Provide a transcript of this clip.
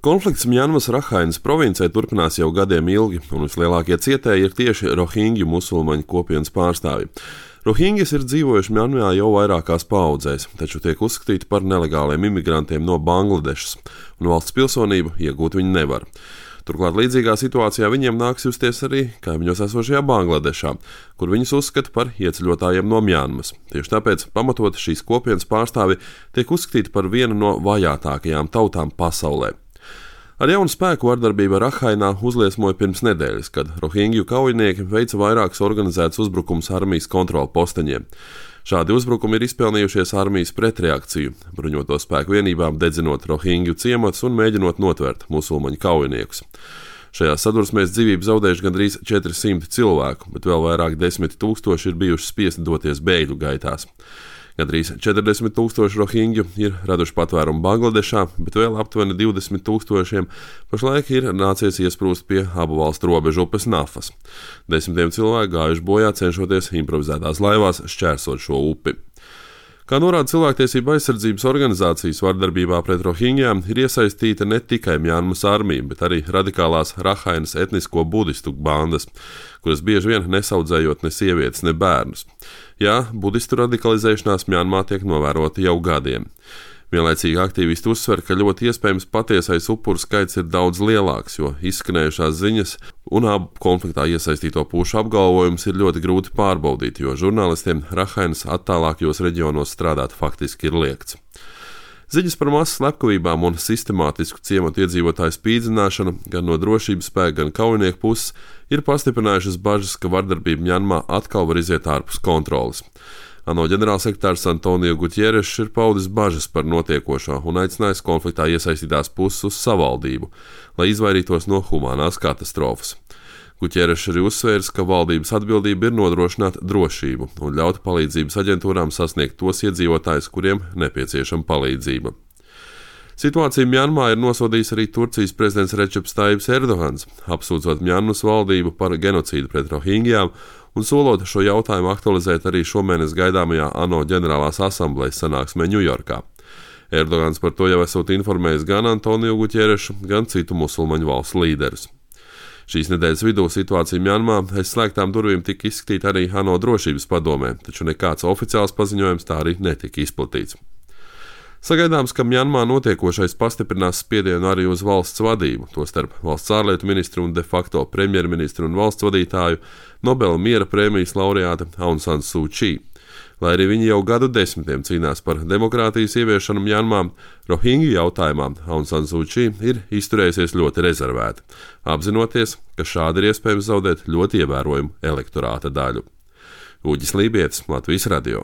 Konflikts Mjanmas Rakhainas provincē turpinās jau gadiem ilgi, un vislielākie cietēji ir tieši rohingju musulmaņu kopienas pārstāvji. Rohingyas ir dzīvojuši Mjanmā jau vairākās paaudzēs, taču tiek uzskatīti par nelegāliem imigrantiem no Bangladešas, un valsts pilsonību iegūt viņi nevar. Turklāt līdzīgā situācijā viņiem nāks justies arī kaimiņos esošajā Bangladešā, kur viņus uzskata par ieceļotājiem no Mjanmas. Tieši tāpēc pamatot šīs kopienas pārstāvi tiek uzskatīti par vienu no vajātākajām tautām pasaulē. Ar jaunu spēku vardarbība Rakhainā uzliesmoja pirms nedēļas, kad rohingju kaujinieki veica vairākus organizētus uzbrukumus armijas kontrolu posteņiem. Šādi uzbrukumi ir izpelnījušies armijas pretreakciju, bruņoto spēku vienībām dedzinot rohingju ciematus un mēģinot notvert musulmaņu kaujiniekus. Šajā sadursmēs dzīvību zaudējuši gandrīz 400 cilvēku, bet vēl vairāk 10 000 ir bijuši spiesti doties bēgļu gaitās. Gandrīz 40 000 rohingju ir raduši patvērumu Bangladešā, bet vēl aptuveni 20 000 pašlaik ir nācies iesprūst pie abu valstu robežu upes Nafas. Desmitiem cilvēku gājuši bojā cenšoties improvizētās laivās šķērsot šo upi. Kā norāda cilvēktiesība aizsardzības organizācijas, vardarbībā pret rohingjām ir iesaistīta ne tikai Mjanmas armija, bet arī radikālās Rakhainas etnisko budistu bandas, kuras bieži vien nesaudzējot ne sievietes, ne bērnus. Jā, budistu radikalizēšanās Mjanmā tiek novērota jau gadiem. Vienlaicīgi aktīvisti uzsver, ka ļoti iespējams patiesais upuru skaits ir daudz lielāks, jo izskanējušās ziņas un abu konfliktā iesaistīto pušu apgalvojumus ir ļoti grūti pārbaudīt, jo žurnālistiem Rakhainas attālākajos reģionos strādāt faktiski ir liegts. Ziņas par masu slepkavībām un sistemātisku ciematu iedzīvotāju spīdzināšanu gan no drošības spēka, gan kaujinieku puses ir pastiprinājušas bažas, ka vardarbība Mjanmā atkal var iziet ārpus kontroles. ANO ģenerālsekretārs Antonio Gutierešs ir paudis bažas par notiekošo un aicinājis konfliktā iesaistītās puses uz savaldību, lai izvairītos no humānās katastrofas. Gutierešs arī uzsvērs, ka valdības atbildība ir nodrošināt drošību un ļaut palīdzības aģentūrām sasniegt tos iedzīvotājus, kuriem nepieciešama palīdzība. Situāciju Mjanmā ir nosodījis arī Turcijas prezidents Receps Tayyips Erdogans, apsūdzot Mjanmas valdību par genocīdu pret rohingjām un solot šo jautājumu aktualizēt arī šomēnes gaidāmajā ANO ģenerālās asamblejas sanāksmē Ņujorkā. Erdogans par to jau esot informējis gan Antonio Gutierešu, gan citu musulmaņu valstu līderus. Šīs nedēļas vidū situācija Mjanmā aiz slēgtām durvīm tika izskatīta arī ANO drošības padomē, taču nekāds oficiāls paziņojums tā arī netika izplatīts. Sagaidāms, ka Mjanmā notiekošais pastiprinās spiedienu arī uz valsts vadību, tostarp valsts ārlietu ministru un de facto premjerministru un valsts vadītāju Nobela miera prēmijas laureāte Aung San Suu Kyi. Lai arī viņi jau gadu desmitiem cīnās par demokrātijas ieviešanu Mjanmā, rohingju jautājumā Aung San Suu Kyi ir izturējusies ļoti rezervēti, apzinoties, ka šādi ir iespējams zaudēt ļoti ievērojumu elektorāta daļu. Uģis Lībietis, Latvijas radio.